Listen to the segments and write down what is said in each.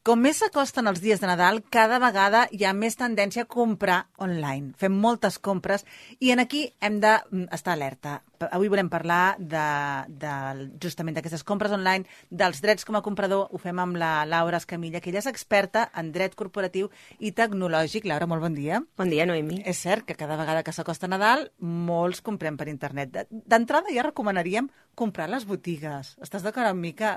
Com més s'acosten els dies de Nadal, cada vegada hi ha més tendència a comprar online. Fem moltes compres i en aquí hem d'estar alerta. Avui volem parlar justament d'aquestes compres online, dels drets com a comprador. Ho fem amb la Laura Escamilla, que ella és experta en dret corporatiu i tecnològic. Laura, molt bon dia. Bon dia, Noemi. És cert que cada vegada que s'acosta Nadal, molts comprem per internet. D'entrada ja recomanaríem comprar a les botigues. Estàs d'acord amb mi que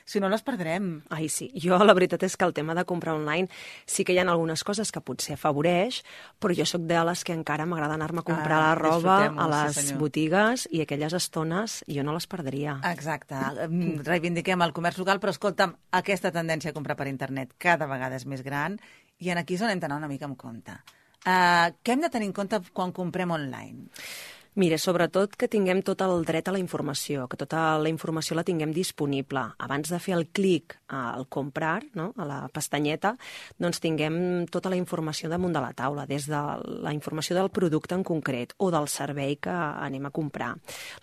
si no les perdrem? Ai, sí. Jo la veritat és que el tema de comprar online sí que hi ha algunes coses que potser afavoreix, però jo sóc de les que encara m'agrada anar-me a comprar la roba a les botigues i aquelles estones jo no les perdria. Exacte. Reivindiquem el comerç local, però escolta'm, aquesta tendència a comprar per internet cada vegada és més gran i aquí és on hem d'anar una mica amb compte. Què hem de tenir en compte quan comprem online? Mira, sobretot que tinguem tot el dret a la informació, que tota la informació la tinguem disponible. Abans de fer el clic al comprar, no?, a la pestanyeta, doncs tinguem tota la informació damunt de la taula, des de la informació del producte en concret o del servei que anem a comprar.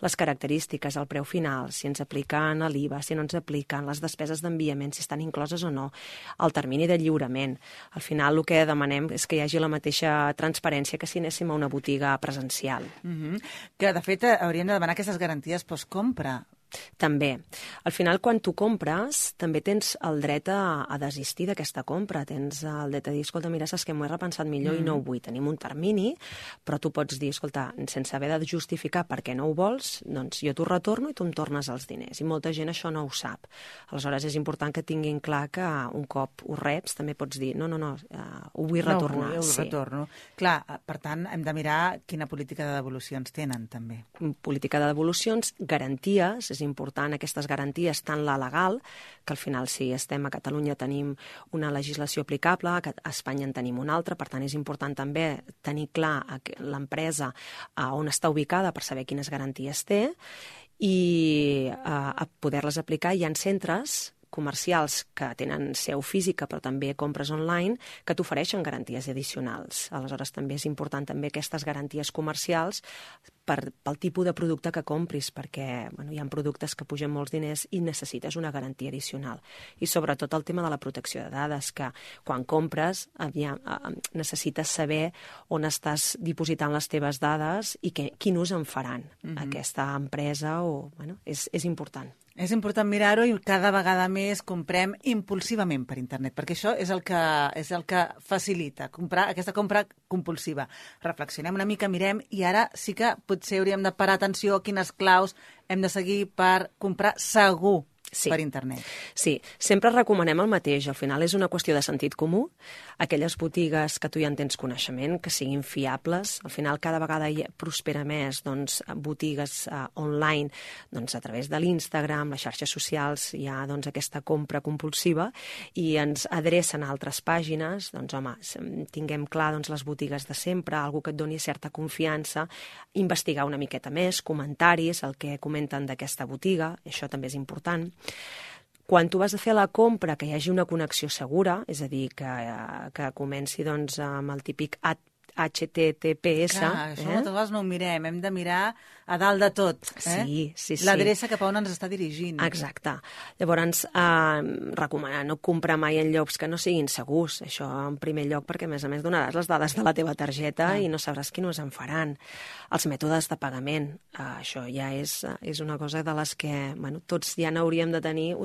Les característiques, el preu final, si ens apliquen l'IVA, si no ens apliquen, les despeses d'enviament, si estan incloses o no, el termini de lliurament. Al final el que demanem és que hi hagi la mateixa transparència que si anéssim a una botiga presencial. Que, de fet, hauríem de demanar aquestes garanties postcompra. També. Al final, quan tu compres, també tens el dret a desistir d'aquesta compra. Tens el dret a dir, escolta, mira, saps que m'ho he repensat millor i no ho vull. Tenim un termini, però tu pots dir, escolta, sense haver de justificar per què no ho vols, doncs jo t'ho retorno i tu em tornes els diners. I molta gent això no ho sap. Aleshores, és important que tinguin clar que un cop ho reps, també pots dir, no, ho vull retornar. No, ho retorno. Clar, per tant, hem de mirar quina política de devolucions tenen, també. Política de devolucions, garanties, és important aquestes garanties, tant la legal, que al final si estem a Catalunya tenim una legislació aplicable, a Espanya en tenim una altra, per tant és important també tenir clar l'empresa on està ubicada per saber quines garanties té i a poder-les aplicar. Hi ha centres comercials que tenen seu física però també compres online que t'ofereixen garanties addicionals. Aleshores també és important també aquestes garanties comercials pel tipus de producte que compris, perquè hi ha productes que pugen molts diners i necessites una garantia addicional. I sobretot el tema de la protecció de dades, que quan compres necessites saber on estàs dipositant les teves dades i quin ús en faran aquesta empresa. És important. És important mirar-ho i cada vegada més comprem impulsivament per internet, perquè això és el que facilita aquesta compra compulsiva. Reflexionem una mica, mirem, i ara sí que potser hauríem de parar atenció a quines claus hem de seguir per comprar segur per internet. Sí, sempre recomanem el mateix. Al final és una qüestió de sentit comú. Aquelles botigues que tu ja en tens coneixement, que siguin fiables. Al final cada vegada prospera més botigues online a través de l'Instagram, les xarxes socials, hi ha aquesta compra compulsiva i ens adrecen a altres pàgines. Tinguem clar les botigues de sempre, algú que et doni certa confiança, investigar una miqueta més, comentaris, el que comenten d'aquesta botiga, això també és important. Quan tu vas a fer la compra, que hi hagi una connexió segura, és a dir, que comenci amb el típic HTTPS. Clar, això moltes vegades no ho mirem, hem de mirar a dalt de tot. Sí. L'adreça cap a on ens està dirigint. Exacte. Llavors, recomanar no comprar mai en llocs que no siguin segurs. Això en primer lloc, perquè a més donaràs les dades de la teva targeta i no sabràs quin ús en faran. Els mètodes de pagament, això ja és una cosa de les que tots ja n'hauríem de tenir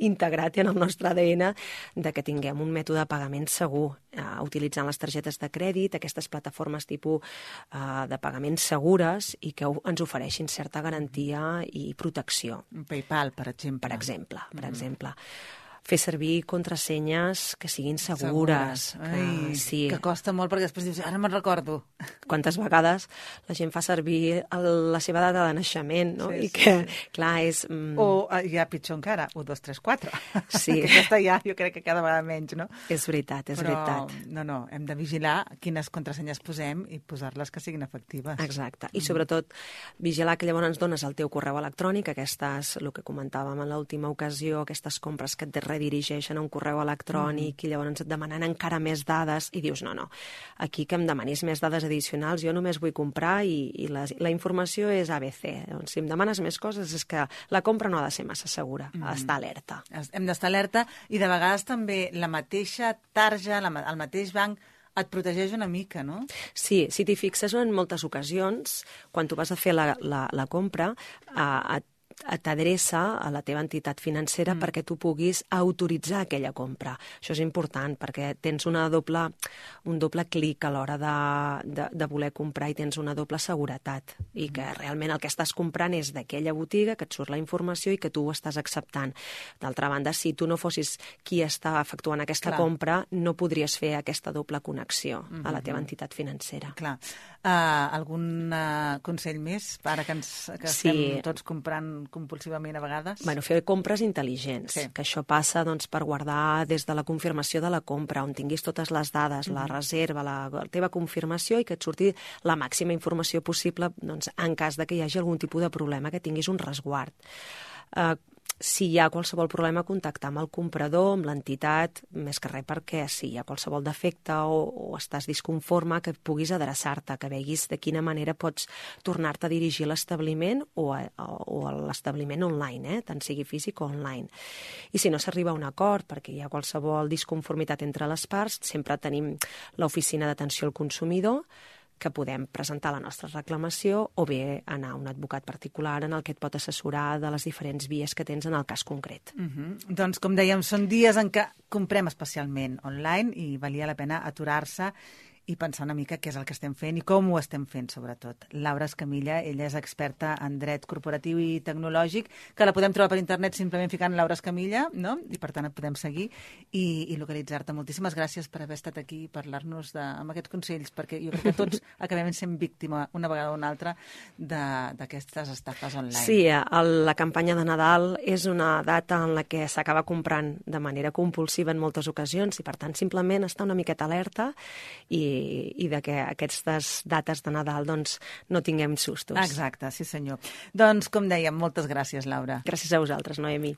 integrat en el nostre ADN, de que tinguem un mètode de pagament segur, utilitzant les targetes de crèdit, aquestes plataformes tipus de pagament segures i que ens ofereixin certa garantia i protecció. PayPal, per exemple. Per exemple. Fer servir contrasenyes que siguin segures. Que costa molt, perquè després dius, ara me'n recordo. Quantes vegades la gent fa servir la seva data de naixement, no? I que, clar, és... O ja pitjor encara, 1, 2, 3, 4. Sí. Aquesta ja, jo crec que cada vegada menys, no? És veritat. Però, no, hem de vigilar quines contrasenyes posem i posar-les que siguin efectives. Exacte. I sobretot vigilar que llavors ens dones el teu correu electrònic, aquestes, el que comentàvem en l'última ocasió, aquestes compres que et redirigeixen a un correu electrònic i llavors et demanen encara més dades i dius, no, aquí que em demanis més dades addicionals, jo només vull comprar i la informació és ABC. Doncs, si em demanes més coses és que la compra no ha de ser massa segura, ha d'estar alerta. Hem d'estar alerta i de vegades també la mateixa tarja, el mateix banc et protegeix una mica, no? Sí, si t'hi fixes en moltes ocasions, quan tu vas a fer la compra, t'adreça a la teva entitat financera perquè tu puguis autoritzar aquella compra. Això és important perquè tens un doble clic a l'hora de voler comprar i tens una doble seguretat i que realment el que estàs comprant és d'aquella botiga, que et surt la informació i que tu ho estàs acceptant. D'altra banda, si tu no fossis qui està efectuant aquesta compra, no podries fer aquesta doble connexió a la teva entitat financera. Clar. Algun consell més ara que estem tots comprant compulsivament a vegades? Bueno, fer compres intel·ligents, que això passa per guardar des de la confirmació de la compra, on tinguis totes les dades, la reserva, la teva confirmació i que et surti la màxima informació possible en cas de que hi hagi algun tipus de problema, que tinguis un resguard. Si hi ha qualsevol problema, contactar amb el comprador, amb l'entitat, més que res perquè si hi ha qualsevol defecte o estàs disconforme, que puguis adreçar-te, que veguis de quina manera pots tornar-te a dirigir a l'establiment o a l'establiment online, tant sigui físic o online. I si no s'arriba a un acord, perquè hi ha qualsevol disconformitat entre les parts, sempre tenim l'oficina d'atenció al consumidor, que podem presentar la nostra reclamació o bé anar a un advocat particular en el que et pot assessorar de les diferents vies que tens en el cas concret. Doncs, com dèiem, són dies en què comprem especialment online i valia la pena aturar-se i pensar una mica què és el que estem fent i com ho estem fent, sobretot. Laura Escamilla, ella és experta en dret corporatiu i tecnològic, que la podem trobar per internet simplement ficant Laura Escamilla, no? I per tant et podem seguir i localitzar-te. Moltíssimes gràcies per haver estat aquí i parlar-nos amb aquests consells, perquè jo crec que tots acabem sent víctima una vegada o una altra d'aquestes estafes online. Sí, la campanya de Nadal és una data en la que s'acaba comprant de manera compulsiva en moltes ocasions i per tant simplement estar una miqueta alerta i que aquestes dates de Nadal no tinguem sustos. Exacte, sí senyor. Doncs, com dèiem, moltes gràcies, Laura. Gràcies a vosaltres, Noemi.